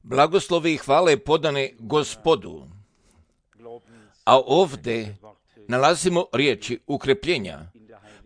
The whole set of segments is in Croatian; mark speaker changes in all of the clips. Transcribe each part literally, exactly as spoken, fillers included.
Speaker 1: Blagoslovi i hvale podane Gospodu. A ovdje nalazimo riječi ukrepljenja.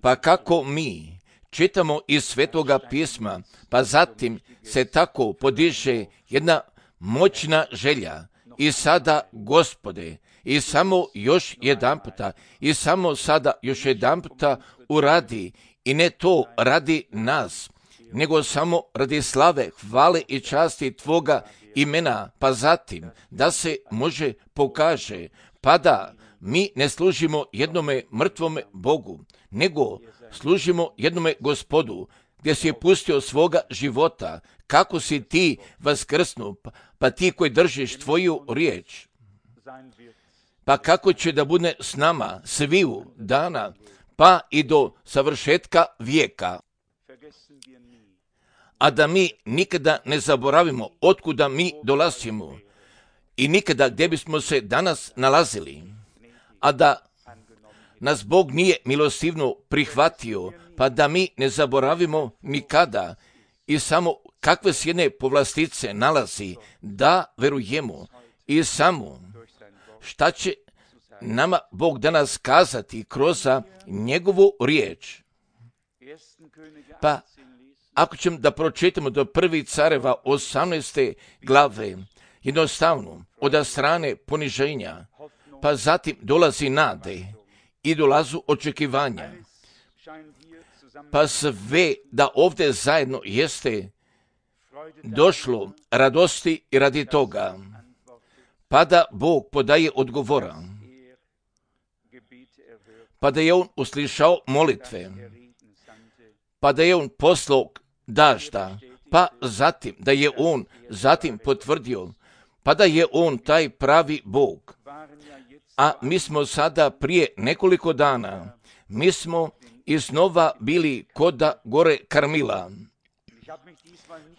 Speaker 1: Pa kako mi čitamo iz Svetoga pisma, pa zatim se tako podiže jedna moćna želja. I sada, Gospode, i samo još jedanputa, i samo sada još jedanputa uradi, i ne to radi nas, nego samo radi slave, hvale i časti Tvoga imena, pa zatim da se može pokaže, pa da mi ne služimo jednome mrtvome Bogu, nego služimo jednome Gospodu, gdje si je pustio svoga života, kako si ti vaskrsnu, pa ti koji držiš Tvoju riječ. Pa kako će da bude s nama sviju dana, pa i do savršetka vijeka. A da mi nikada ne zaboravimo otkuda mi dolazimo i nikada gdje bismo se danas nalazili, a da nas Bog nije milostivno prihvatio, pa da mi ne zaboravimo nikada i samo kakve s jedne povlastice nalazi, da verujemo i samo šta će nama Bog danas kazati kroz njegovu riječ. Pa ako ćemo da pročitamo do prvi careva osamnaeste glave, jednostavno od strane poniženja, pa zatim dolazi nade i dolazu očekivanja. Pa sve da ovdje zajedno jeste došlo radosti i radi toga, pa da Bog podaje odgovora, pa da je on uslišao molitve, pa da je on poslao dažda, pa zatim da je on zatim potvrdio, pa da je on taj pravi Bog. A mi smo sada prije nekoliko dana, mi smo iznova bili koda gore Karmila.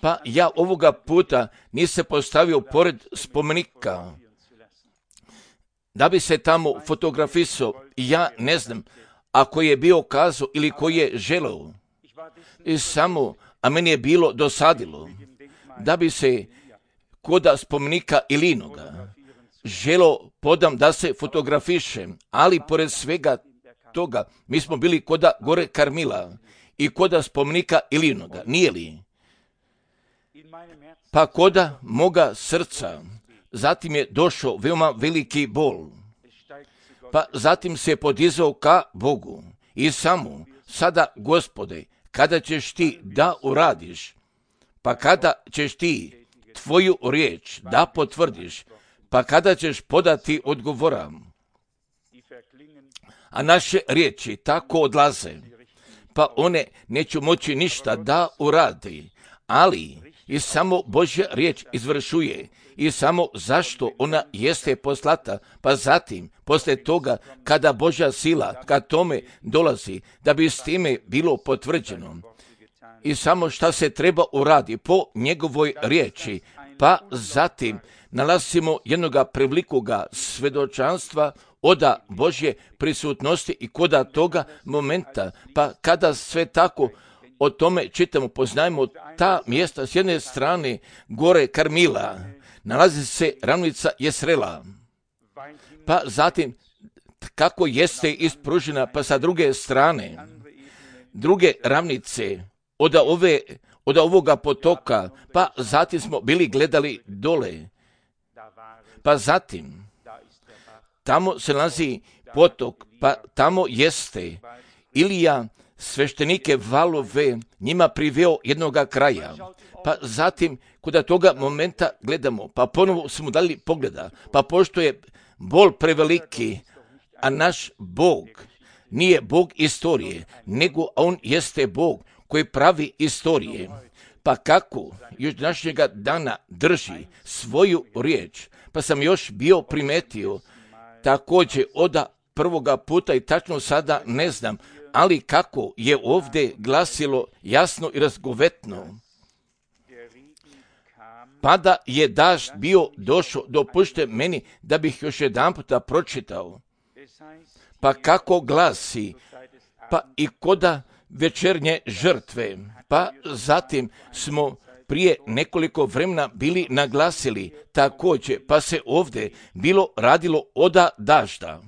Speaker 1: Pa ja ovoga puta nisam postavio pored spomenika, da bi se tamo fotografisao, ja ne znam, ako je bio kazao ili koji je želeo. I samo, a meni je bilo dosadilo, da bi se koda spomenika Ilinoga želo podam da se fotografišem, ali pored svega toga, mi smo bili koda gore Karmila i koda spomenika Ilinoga, nije li? Pa koda moga srca, zatim je došao veoma veliki bol, pa zatim se podizao ka Bogu i samo, sada Gospode, kada ćeš ti da uradiš, pa kada ćeš ti Tvoju riječ da potvrdiš, pa kada ćeš podati odgovora. A naše riječi tako odlaze, pa one neću moći ništa da uradi, ali i samo Božja riječ izvršuje i samo zašto ona jeste poslata, pa zatim, poslije toga, kada Božja sila ka tome dolazi, da bi s time bilo potvrđeno. I samo šta se treba uradi po njegovoj riječi, pa zatim nalazimo jednoga prevlikoga svedočanstva oda Božje prisutnosti i koda toga momenta, pa kada sve tako o tome čitamo, poznajemo ta mjesta s jedne strane gore Karmila, nalazi se ravnica Jesrela, pa zatim kako jeste ispružena, pa sa druge strane, druge ravnice od, ove, od ovoga potoka, pa zatim smo bili gledali dole, pa zatim tamo se nalazi potok, pa tamo jeste Ilija sveštenike valove njima priveo jednoga kraja, pa zatim kuda toga momenta gledamo, pa ponovo smo dali pogleda, pa pošto je bol preveliki, a naš Bog nije Bog istorije, nego on jeste Bog koji pravi istorije, pa kako još današnjega dana drži svoju riječ, pa sam još bio primetio također oda prvoga puta i tačno sada ne znam, ali kako je ovdje glasilo jasno i razgovetno. Pa da je dažd bio došao, dopušte meni da bih još jedan puta pročitao. Pa kako glasi, pa i koda večernje žrtve, pa zatim smo prije nekoliko vremena bili naglasili također, pa se ovdje bilo radilo oda dažda.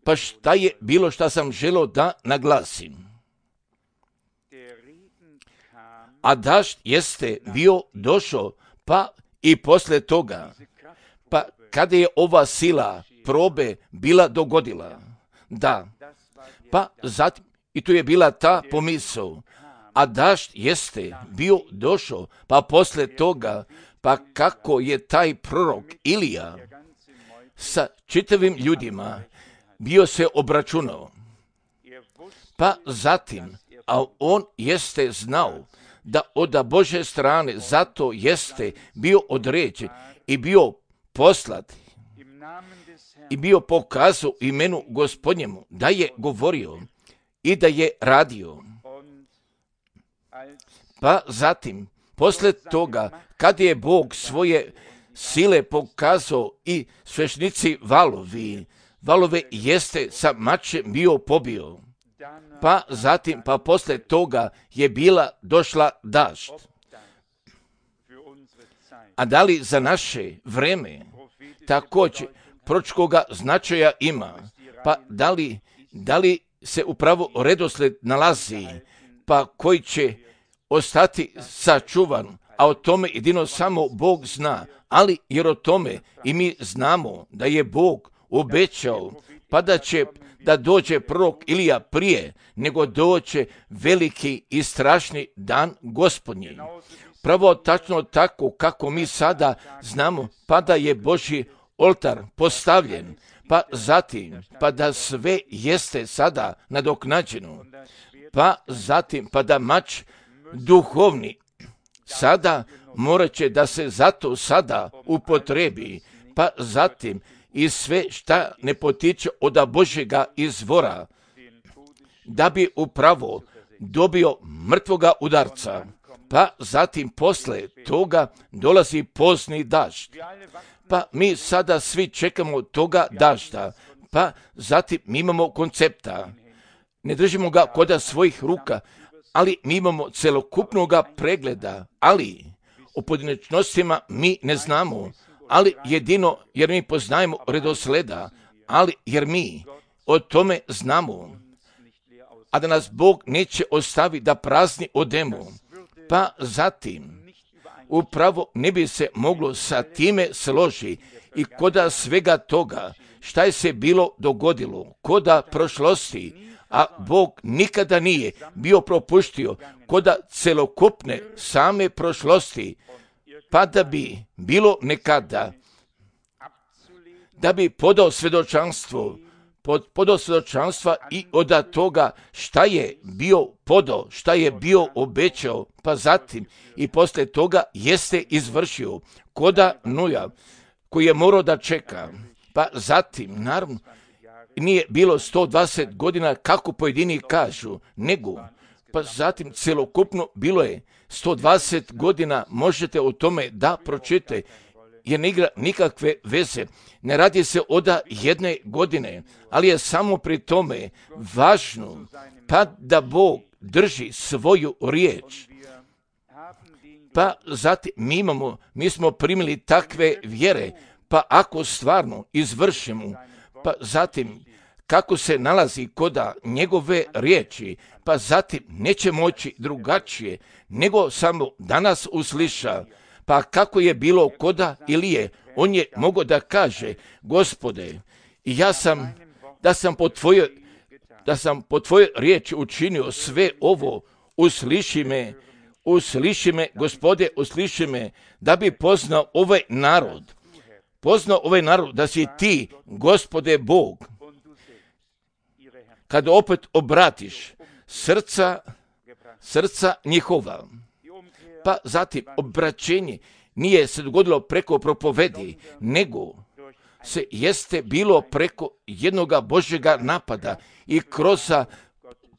Speaker 1: Pa šta je bilo što sam želio da naglasim? A dažd jeste bio došao, pa i poslije toga, pa kada je ova sila probe bila dogodila, da, pa zatim, i tu je bila ta pomisao, a dažd jeste bio došao, pa poslije toga, pa kako je taj prorok Ilija sa čitavim ljudima bio se obračunao, pa zatim, a on jeste znao da od Božje strane zato jeste bio određen i bio poslat i bio pokazao imenu Gospodnjemu da je govorio i da je radio. Pa zatim, poslije toga, kad je Bog svoje sile pokazao i svešnici valovi, valove jeste sa mačem bio pobio. Pa zatim, pa poslije toga je bila došla dažd. A da li za naše vreme također proročkoga značaja ima? Pa da li, da li se upravo redosled nalazi, pa koji će ostati sačuvan, a o tome jedino samo Bog zna, ali jer o tome i mi znamo da je Bog obećao, pa da će da dođe prorok Ilija prije nego doće veliki i strašni dan Gospodnji. Pravo tačno tako kako mi sada znamo, pa da je Božji oltar postavljen, pa zatim, pa da sve jeste sada nadoknađeno, pa zatim, pa da mač duhovni sada morat će da se zato sada upotrebi, pa zatim i sve šta ne potiče od Božjega izvora, da bi upravo dobio mrtvoga udarca, pa zatim posle toga dolazi pozni dažd. Pa mi sada svi čekamo toga dažda, pa zatim mi imamo koncepta. Ne držimo ga kod svojih ruka, ali mi imamo celokupnog pregleda, ali o pojedinačnostima mi ne znamo, ali jedino jer mi poznajemo redosleda, ali jer mi o tome znamo, a da nas Bog neće ostavi da prazni odemo, pa zatim upravo ne bi se moglo sa time složi i koda svega toga šta je se bilo dogodilo, koda prošlosti, a Bog nikada nije bio propuštio koda celokupne same prošlosti, pa da bi bilo nekada, da bi podao svjedočanstvo, pod, podao svjedočanstva i od toga šta je bio podao, šta je bio obećao, pa zatim i poslije toga jeste izvršio koda Nuja, koji je morao da čeka, pa zatim, naravno, nije bilo sto dvadeset godina kako pojedini kažu, nego, pa zatim celokupno bilo je sto dvadeset godina, možete o tome da pročitate, jer ne igra nikakve veze. Ne radi se od jedne godine, ali je samo pri tome važno, pa da Bog drži svoju riječ. Pa zatim mi imamo, mi smo primili takve vjere, pa ako stvarno izvršimo, pa zatim kako se nalazi koda njegove riječi, pa zatim neće moći drugačije, nego samo danas usliša. Pa kako je bilo koda Ilije, on je mogao da kaže, Gospode, ja sam, da sam po tvojoj, da sam po tvojoj riječi učinio sve ovo, usliši me, usliši me, Gospode, usliši me, da bi poznao ovaj narod, poznao ovaj narod, da si ti, Gospode Bog, kad opet obratiš srca, srca njihova. Pa zatim obraćenje nije se dogodilo preko propovedi, nego se jeste bilo preko jednoga Božjega napada i kroz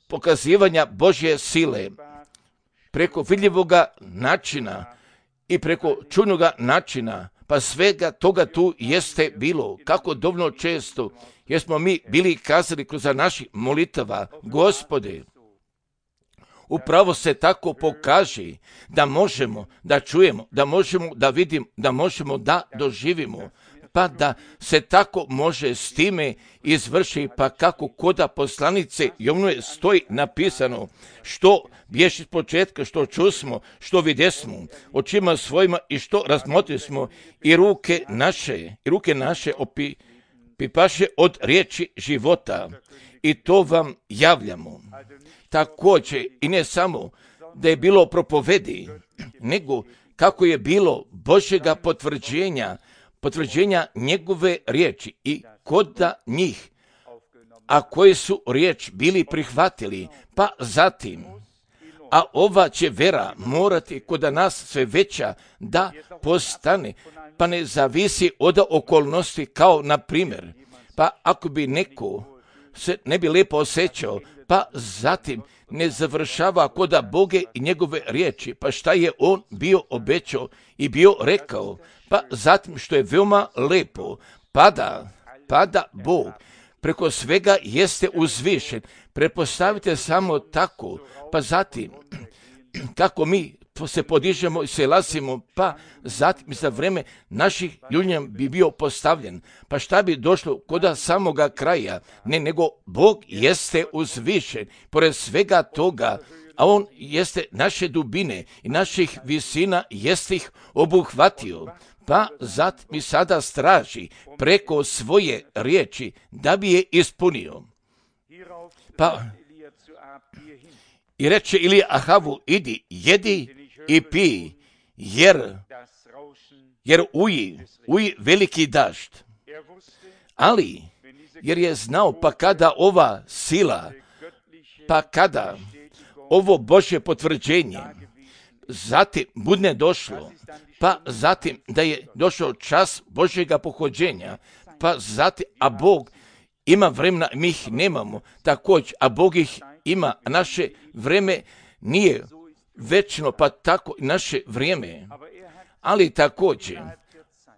Speaker 1: pokazivanja Božje sile, preko vidljivoga načina i preko čudnoga načina, pa svega toga tu jeste bilo, kako dovoljno često, jer smo mi bili kazali kroz naših molitava, Gospode, upravo se tako pokaže da možemo da čujemo, da možemo da vidimo, da možemo da doživimo, pa da se tako može s time izvrši, pa kako koda poslanice Jovnove stoji napisano, što bješi iz početka, što čusmo, što vidjesmo, očima svojima i što razmotrismo, i ruke naše, i ruke naše opi, pipaše od riječi života, i to vam javljamo. Također, i ne samo da je bilo propovedi, nego kako je bilo Božjega potvrđenja, potvrđenja njegove riječi i koda njih, a koji su riječ bili prihvatili, pa zatim, a ova će vera morati koda nas sve veća da postane, pa ne zavisi od okolnosti, kao na primjer, pa ako bi neko se ne bi lijepo osjećao, pa zatim ne završava koda Boge i njegove riječi, pa šta je on bio obećao i bio rekao, pa zatim što je veoma lepo, pada, pada Bog, preko svega jeste uzvišen, prepostavite samo tako, pa zatim kako mi se podižemo i se lasimo, pa zatim za vreme naših ljudnja bi bio postavljen. Pa šta bi došlo koda samoga kraja? Ne, nego Bog jeste uzvišen, pored svega toga, a on jeste naše dubine i naših visina jeste ih obuhvatio. Pa zatim mi sada straži preko svoje riječi da bi je ispunio. Pa i reče Ilija Ahavu, idi, jedi i pi, jer, jer uji, uji veliki dažd. Ali, jer je znao, pa kada ova sila, pa kada ovo Božje potvrđenje, zatim budne došlo, pa zatim da je došao čas Božjega pohođenja, pa zatim, a Bog ima vremena, mi ih nemamo, također, a Bog ih ima, a naše vrijeme nije večno, pa tako i naše vrijeme. Ali također,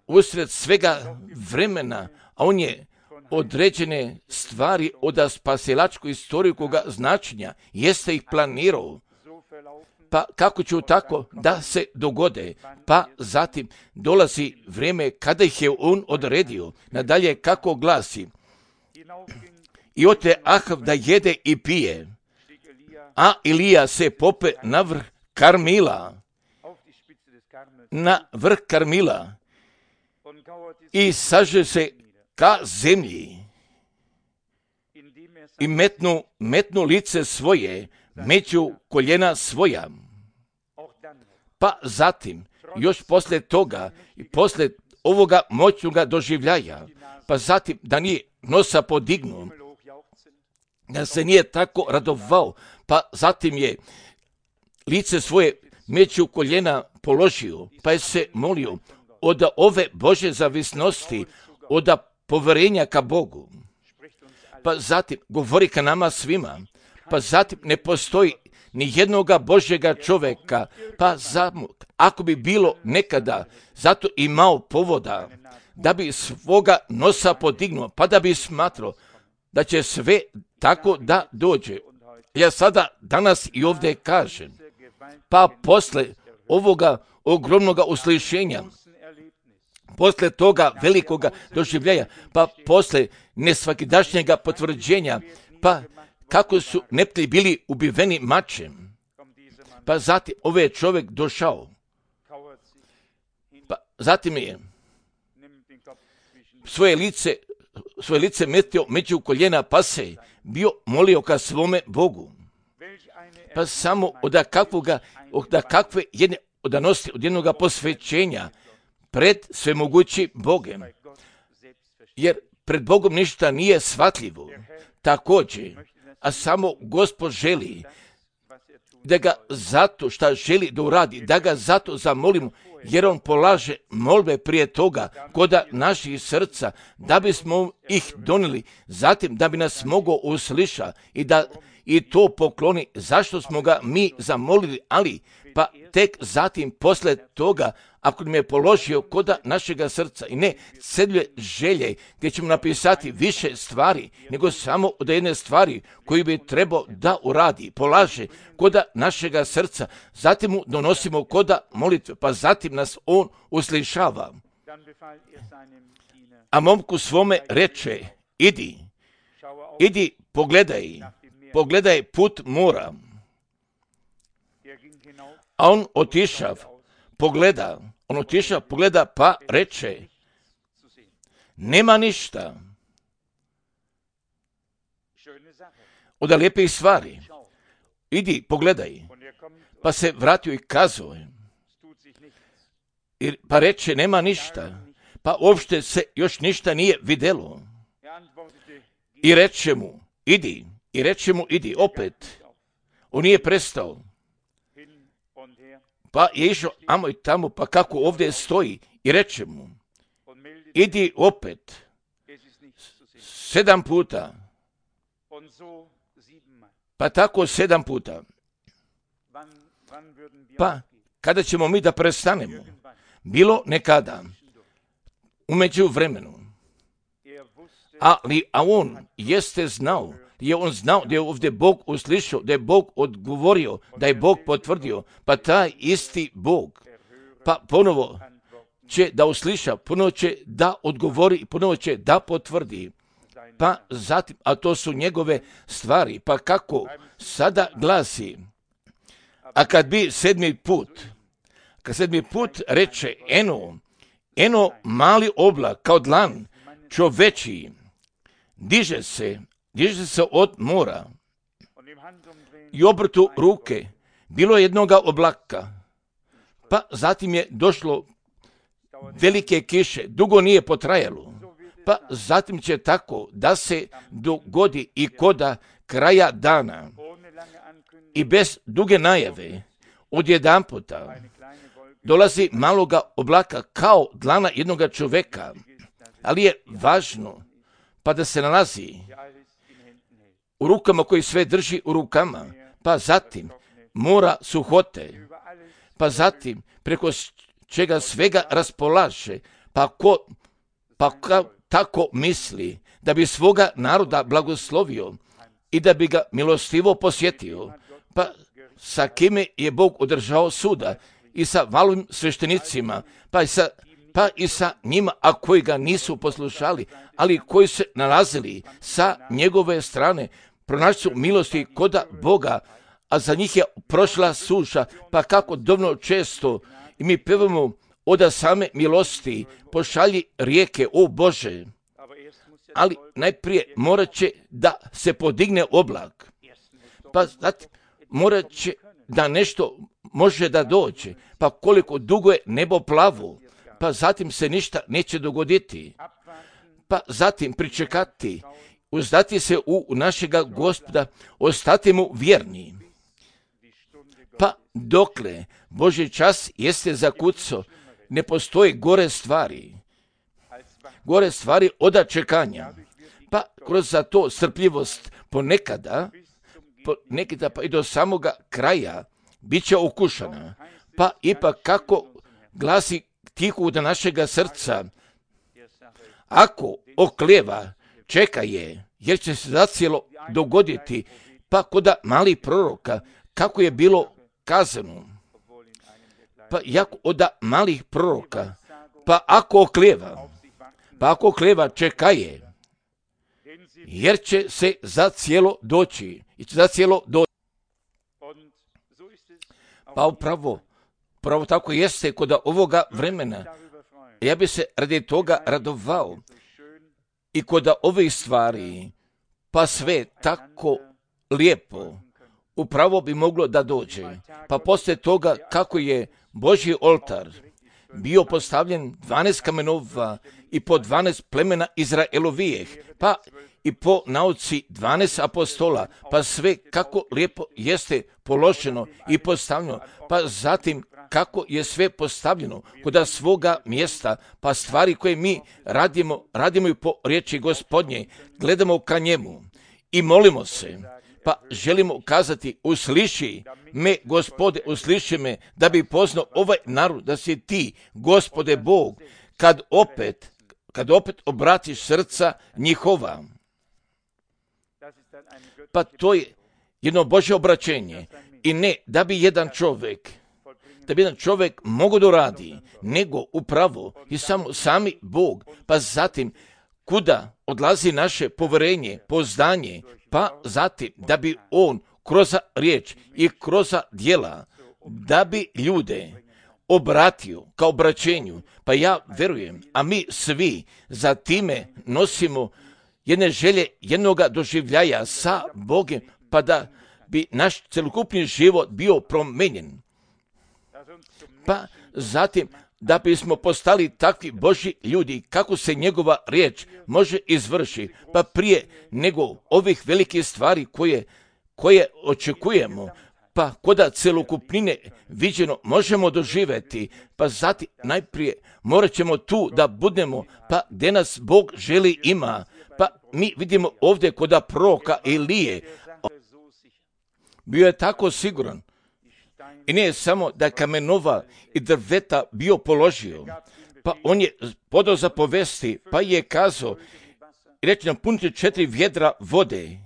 Speaker 1: usred svega vremena, a on je određene stvari od spasilačkoj istoriju koga značenja, jeste ih planirao. Pa kako ću tako da se dogode, pa zatim dolazi vrijeme kada ih je on odredio. Nadalje kako glasi, i ote Ahav da jede i pije, a Ilija se pope na vrh Karmila, na vrh Karmila i saže se ka zemlji i metnu, metnu lice svoje među koljena svoja. Pa zatim, još poslije toga i poslije ovoga moćnoga doživljaja, pa zatim da nije nosa podignuo, da se nije tako radovao, pa zatim je lice svoje među koljena položio, pa je se molio od ove Božje zavisnosti, od povjerenja ka Bogu. Pa zatim govori ka nama svima, pa zatim ne postoji ni jednoga Božjega čovjeka, pa zatim, ako bi bilo nekada, zato imao povoda, da bi svoga nosa podignuo, pa da bi smatrao da će sve tako da dođe. Ja sada danas i ovdje kažem, pa posle ovoga ogromnoga uslišenja, posle toga velikoga doživljaja, pa posle nesvakidašnjega potvrđenja, pa kako su neprijatelji bili ubiveni mačem, pa zatim ovaj čovjek došao, pa zatim je svoje lice, svoje lice metio među koljena, pa se bio molio ka svome Bogu. Pa samo od kakvoga, od kakve jedne odanosti, od jednoga posvećenja pred svemogući Bogem. Jer pred Bogom ništa nije shvatljivo. Također, a samo Gospod želi da ga zato šta želi da uradi, da ga zato zamolimo, jer on polaže molbe prije toga koda naših srca, da bismo ih donijeli, zatim da bi nas mogao usliša i da i to pokloni zašto smo ga mi zamolili, ali pa tek zatim posle toga, ako nam je položio koda našega srca i ne cedlje želje gdje ćemo napisati više stvari, nego samo od jedne stvari koju bi trebao da uradi, polaže koda našega srca, zatim mu donosimo koda molitve, pa zatim nas on uslišava. A momku svome reče, idi, idi, pogledaj, pogledaj put mora. A on otišav, pogleda, on otišav, pogleda, pa reče, nema ništa od lijepih stvari. Idi, pogledaj. Pa se vratio i kazao, pa reče, nema ništa. Pa uopšte se još ništa nije videlo. I reče mu, idi, i reče mu, idi, opet. On nije prestao. Pa je išao amo i tamo, pa kako ovdje stoji, i reče mu, idi opet, sedam puta, pa tako sedam puta. Pa kada ćemo mi da prestanemo? Bilo nekada, umeđu vremenu. Ali, a on jeste znao, je on znao da je ovdje Bog uslišao, da je Bog odgovorio, da je Bog potvrdio, pa taj isti Bog, pa ponovo će da usliša, ponovo će da odgovori i ponovo će da potvrdi. Pa zatim, a to su njegove stvari, pa kako sada glasi, a kad bi sedmi put, kad sedmi put reče, eno, eno mali oblak kao dlan čoveči, diže se, diže se od mora i obrtu ruke, bilo jednoga oblaka, pa zatim je došlo velike kiše, dugo nije potrajalo, pa zatim će tako da se dogodi i koda kraja dana i bez duge najave odjedanputa dolazi maloga oblaka kao dlana jednoga čoveka, ali je važno pa da se nalazi u rukama koji sve drži u rukama, pa zatim mora suhote, pa zatim preko čega svega raspolaže, pa ko, pa ka, tako misli da bi svoga naroda blagoslovio i da bi ga milostivo posjetio, pa sa kime je Bog održao suda i sa valovim sveštenicima, pa i sa pa i sa njima, a koji ga nisu poslušali, ali koji se nalazili sa njegove strane, pronašli su milosti koda Boga, a za njih je prošla suša, pa kako dovoljno često i mi pevamo oda same milosti, pošalji rijeke, o Bože, ali najprije morat će da se podigne oblak, pa zatim morat će da nešto može da dođe, pa koliko dugo je nebo plavo, pa zatim se ništa neće dogoditi, pa zatim pričekati, uzdati se u našega Gospoda, ostati mu vjerni. Pa dokle Božji čas jeste zakucao, ne postoji gore stvari, gore stvari od čekanja, pa kroz za to strpljivost ponekada, ponekada pa i do samoga kraja bit će okušana, pa ipak kako glasi tihu do našega srca, ako oklijeva, čeka je, jer će se zacijelo dogoditi, pa koda malih proroka, kako je bilo kazano, pa jako oda malih proroka, pa ako oklijeva, pa ako oklijeva, čeka je, jer će se zacijelo doći, i će zacijelo doći. Pa upravo, upravo tako jeste kod ovoga vremena. Ja bi se radi toga radovao i kod ovih stvari, pa sve tako lijepo, upravo bi moglo da dođe. Pa poslije toga kako je Božji oltar bio postavljen dvanaest kamenova i po dvanaest plemena Izraelovijeh, pa i po nauci dvanaest apostola, pa sve kako lijepo jeste položeno i postavljeno, pa zatim kako je sve postavljeno kod svoga mjesta, pa stvari koje mi radimo, radimo i po riječi Gospodnje, gledamo ka njemu i molimo se, Pa želimo kazati, usliši me, Gospode, usliši me, da bi poznao ovaj narod, da si ti, Gospode Bog, kad opet, kad opet obratiš srca njihova. Pa to je jedno Božje obraćenje. I ne da bi jedan čovjek, da bi jedan čovjek mogao da radi, nego upravo i samo sami Bog. Pa zatim, kuda odlazi naše poverenje, poznanje, pa zatim da bi on kroz riječ i kroz djela, da bi ljude obratio kao obraćenju. Pa ja verujem, a mi svi za time nosimo jedne želje, jednoga doživljaja sa Bogom, pa da bi naš celokupni život bio promenjen. Pa zatim da bismo postali takvi Božji ljudi, kako se njegova riječ može izvrši, pa prije nego ovih velikih stvari koje, koje očekujemo, pa koda celokupnine viđeno možemo doživjeti, pa zatim najprije morat ćemo tu da budemo, pa gdje nas Bog želi ima. Pa mi vidimo ovdje koda proroka Elije, bio je tako siguran. I nije samo da kamenova i drveta bio položio, pa on je podao za povesti, pa je kazao, reći napunite četiri vjedra vode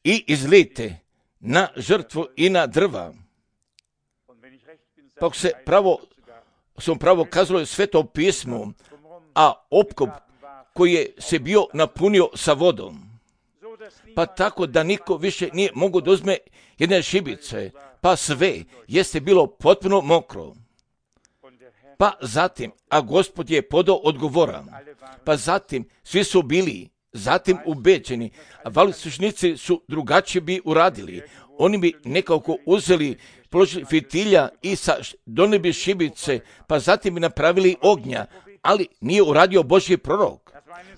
Speaker 1: i izlijte na žrtvu i na drva. Pa se pravo, sam pravo kazalo je Sveto pismo, a opkop koji je se bio napunio sa vodom. Pa tako da niko više nije mogu da uzme jedne šibice, pa sve jeste bilo potpuno mokro. Pa zatim, a Gospod je podao odgovora, pa zatim svi su bili zatim ubeđeni, a valislušnici su drugačije bi uradili. Oni bi nekako uzeli, položili fitilja i sa donijeli bi šibice, pa zatim bi napravili ognja, ali nije uradio Božji prorok.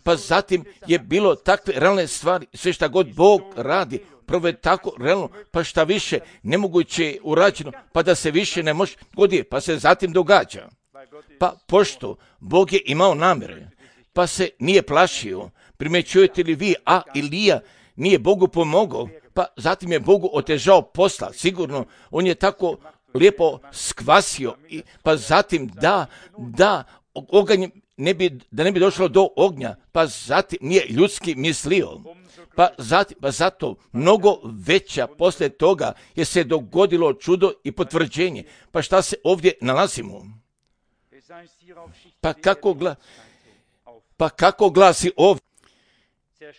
Speaker 1: Pa zatim je bilo takve realne stvari, sve šta god Bog radi, prvo je tako realno, pa šta više nemoguće je urađeno, pa da se više ne može goditi, pa se zatim događa. Pa pošto Bog je imao namjere, pa se nije plašio, primjećujete li vi, a Ilija nije Bogu pomogao, pa zatim je Bogu otežao posla, sigurno, on je tako lijepo skvasio, i, pa zatim da, da, oganj ne bi, da ne bi došlo do ognja, pa zatim nije ljudski mislio. Pa, zatim, pa zato mnogo veća poslije toga je se dogodilo čudo i potvrđenje. Pa šta se ovdje nalazimo? Pa kako, gla, pa kako glasi ovdje?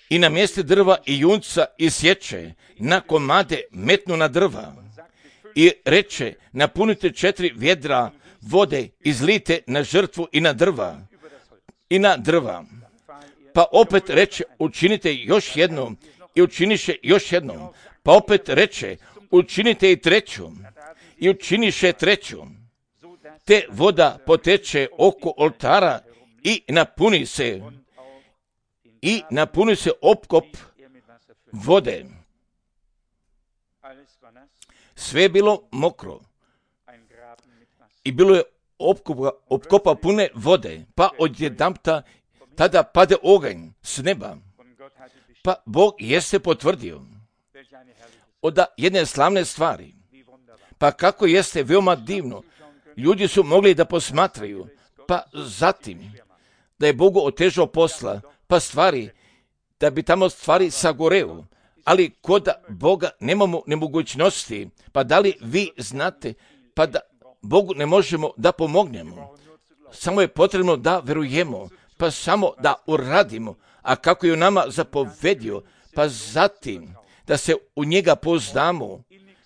Speaker 1: I na mjestu drva i junca isječe, na komade metnu na drva. I reče, napunite četiri vjedra vode, izlite na žrtvu i na drva. I na drva. Pa opet reče, učinite još jednom i učiniše još jednom. Pa opet reče, učinite i treću i učiniše treću. Te voda poteče oko oltara i napuni se i napuni se opkop vode. Sve je bilo mokro i bilo je opkopa, opkopa pune vode, pa odjedanpta tada pade oganj s neba. Pa Bog jeste potvrdio od jedne slavne stvari. Pa kako jeste veoma divno, ljudi su mogli da posmatraju, pa zatim da je Bogu otežao posla, pa stvari, da bi tamo stvari sagoreo, ali kod Boga nemamo nemogućnosti, pa da li vi znate, pa da Bogu ne možemo da pomognemo, samo je potrebno da verujemo, pa samo da uradimo, a kako je u nama zapovedio, pa zatim da se u njega poznamo,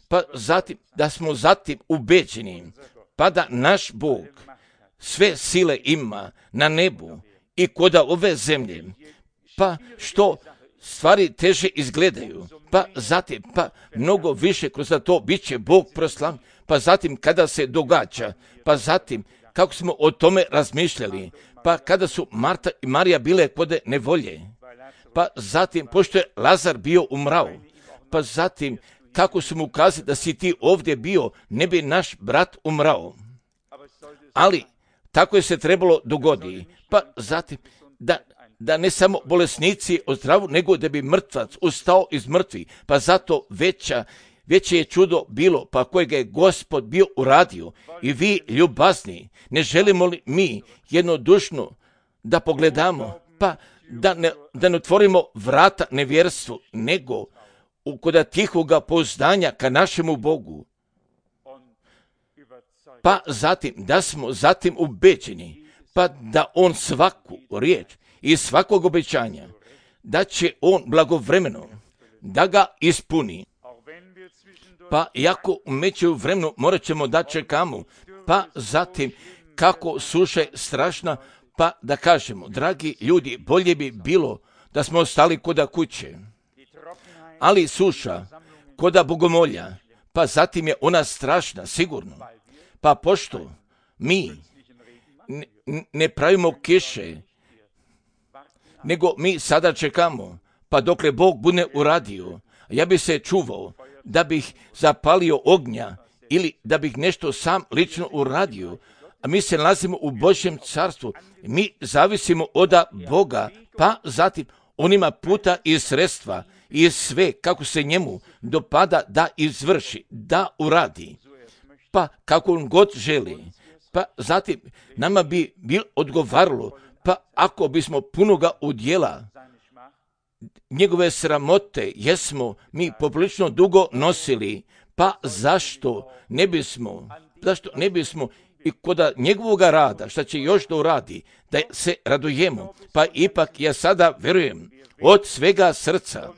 Speaker 1: pa zatim da smo zatim ubeđeni, pa da naš Bog sve sile ima na nebu i koda ove zemlje, pa što stvari teže izgledaju, pa zatim, pa mnogo više kroz to bit će Bog proslavljen, pa zatim kada se događa, pa zatim kako smo o tome razmišljali, pa kada su Marta i Marija bile kod nevolje, pa zatim pošto je Lazar bio umrao, pa zatim kako su mu kazali da si ti ovdje bio, ne bi naš brat umrao. Ali tako je se trebalo dogoditi, pa zatim da da ne samo bolesnici ozdravu, nego da bi mrtvac ustao iz mrtvi. Pa zato veća, veće je čudo bilo, pa kojega je Gospod bio uradio. I vi, ljubazni, ne želimo li mi jednodušno da pogledamo, pa da ne, da ne otvorimo vrata nevjerstvu, nego u koda tihoga pouzdanja ka našemu Bogu. Pa zatim, da smo zatim ubeđeni, pa da on svaku riječ i svakog obećanja, da će on blagovremeno da ga ispuni. Pa iako u međuvremenu morat ćemo da čekamo, pa zatim kako suša je strašna, pa da kažemo, dragi ljudi, bolje bi bilo da smo ostali koda kuće. Ali suša, koda bogomolja, pa zatim je ona strašna, sigurno. Pa pošto mi ne, ne pravimo kiše, nego mi sada čekamo, pa dokle Bog bude uradio, ja bi se čuvao da bih zapalio ognja ili da bih nešto sam lično uradio, a mi se nalazimo u Božjem carstvu, mi zavisimo od Boga, pa zatim on ima puta i sredstva i sve kako se njemu dopada da izvrši, da uradi, pa kako on god želi. Pa zatim nama bi bil odgovaralo, pa ako bismo punoga udjela njegove sramote jesmo mi poprilično dugo nosili, pa zašto ne bismo, zašto ne bismo i koda njegovoga rada, šta će još da uradi, da se radujemo, pa ipak ja sada verujem od svega srca,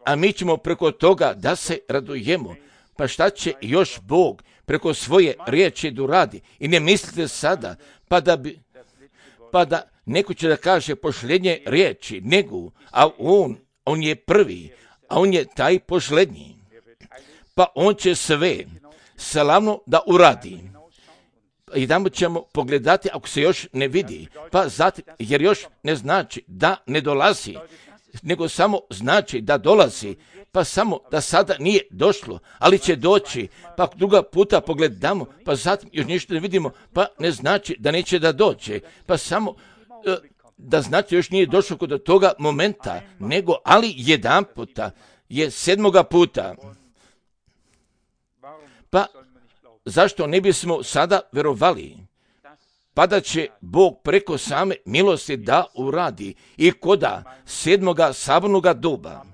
Speaker 1: a mi ćemo preko toga da se radujemo, pa šta će još Bog preko svoje riječi da uradi. I ne mislite sada, pa da bi, pa da neko će da kaže pošlednje riječi, nego, a on, on je prvi, a on je taj pošlednji. Pa on će sve slavno da uradi. I tamo ćemo pogledati ako se još ne vidi, pa zatim, jer još ne znači da ne dolazi, nego samo znači da dolazi, pa samo da sada nije došlo, ali će doći, pa druga puta pogledamo, pa zatim još ništa ne vidimo, pa ne znači da neće da dođe, pa samo da znači još nije došlo kod toga momenta, nego ali jedan puta je sedmoga puta. Pa zašto ne bismo sada verovali, pa da će Bog preko same milosti da uradi i koda sedmoga sabornoga doba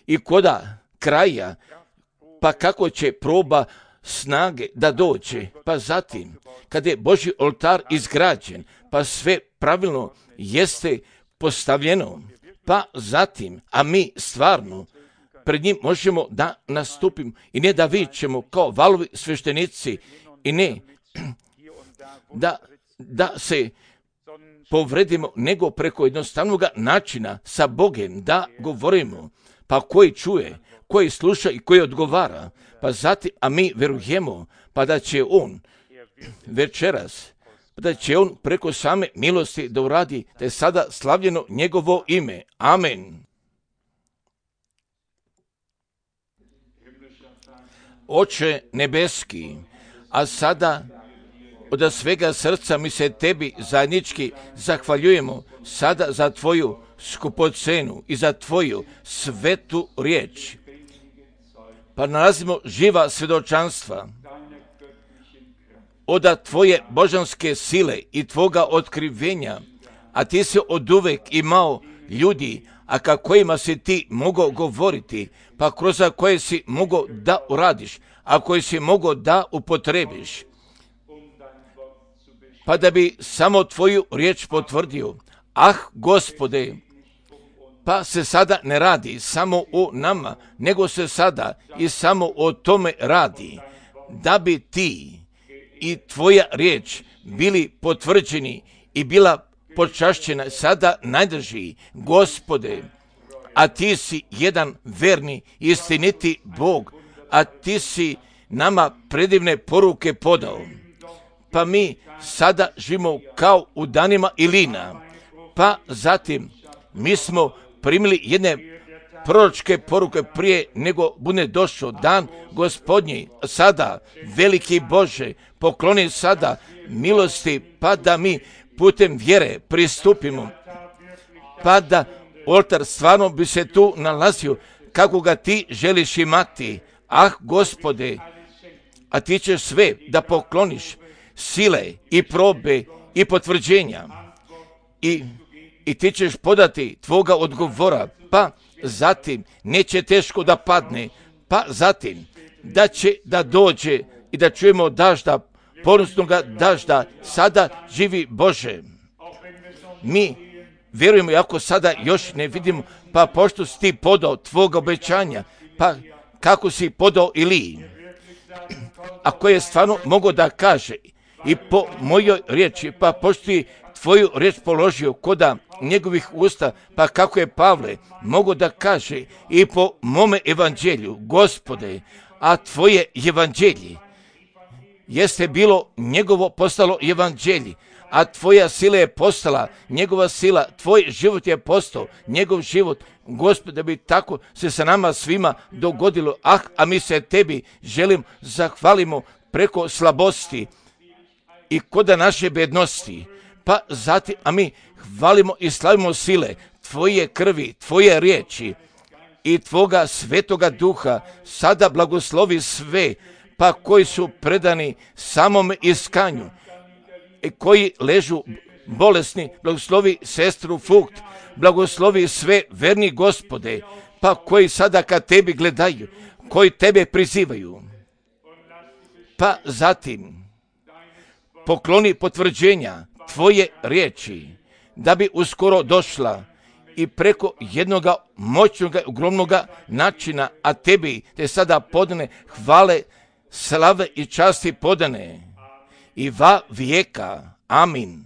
Speaker 1: i koda kraja, pa kako će proba snage da dođe, pa zatim kada je Božji oltar izgrađen, pa sve pravilno jeste postavljeno, pa zatim, a mi stvarno pred njim možemo da nastupimo i ne da vičemo kao valovi sveštenici i ne da, da se povredimo, nego preko jednostavnog načina sa Bogem da govorimo, pa koji čuje, koji sluša i koji odgovara, pa zatim, a mi verujemo, pa da će on večeras, pa da će on preko same milosti da uradi, da je sada slavljeno njegovo ime. Amen. Oče nebeski, a sada od svega srca mi se tebi zajednički zahvaljujemo sada za tvoju skupocenu i za tvoju svetu riječ. Pa nalazimo živa svjedočanstva od tvoje božanske sile i tvoga otkrivenja, a ti si oduvek imao ljudi, a ka kojima si ti mogao govoriti, pa kroz koje si mogao da uradiš, a koje si mogao da upotrebiš, pa da bi samo tvoju riječ potvrdio. Ah, Gospode, pa se sada ne radi samo o nama, nego se sada i samo o tome radi, da bi ti i tvoja riječ bili potvrđeni i bila počašćena sada najdrži, Gospode, a ti si jedan verni, istiniti Bog, a ti si nama predivne poruke podao. Pa mi sada živimo kao u danima Ilina, pa zatim mi smo primili jedne proročke poruke prije nego bude došao dan Gospodnji. Sada, veliki Bože, pokloni sada milosti, pa da mi putem vjere pristupimo pa da oltar stvarno bi se tu nalazio kako ga ti želiš imati. Ah, Gospode, a ti ćeš sve da pokloniš sile i probe i potvrđenja i, i ti ćeš podati tvoga odgovora, pa zatim neće teško da padne, pa zatim da će da dođe i da čujemo dažda, ponosnoga dažda, sada živi Bože. Mi vjerujemo, ako sada još ne vidimo, pa pošto si ti podao tvoga obećanja, pa kako si podao Iliji, ako je stvarno mogao da kaže i po mojoj riječi, pa pošto ti tvoju riječ položio koda njegovih usta, pa kako je Pavle mogao da kaže i po mome evanđelju, Gospode, a tvoje evanđelje jeste bilo njegovo postalo evanđelje, a tvoja sila je postala njegova sila, tvoj život je postao njegov život. Gospod, da bi tako se sa nama svima dogodilo. Ah, a mi se tebi želim zahvalimo preko slabosti i koda naše bednosti. Pa zatim, a mi hvalimo i slavimo sile tvoje krvi, tvoje riječi i tvoga svetoga duha. Sada blagoslovi sve, pa koji su predani samom iskanju i koji ležu bolesni, blagoslovi sestru Fukt, blagoslovi sve verni Gospode, pa koji sada kad tebi gledaju, koji tebe prizivaju. Pa zatim pokloni potvrđenja tvoje riječi, da bi uskoro došla i preko jednoga moćnog, ogromnog načina, a tebi te sada podane hvale, slave i časti podane i va vijeka. Amin.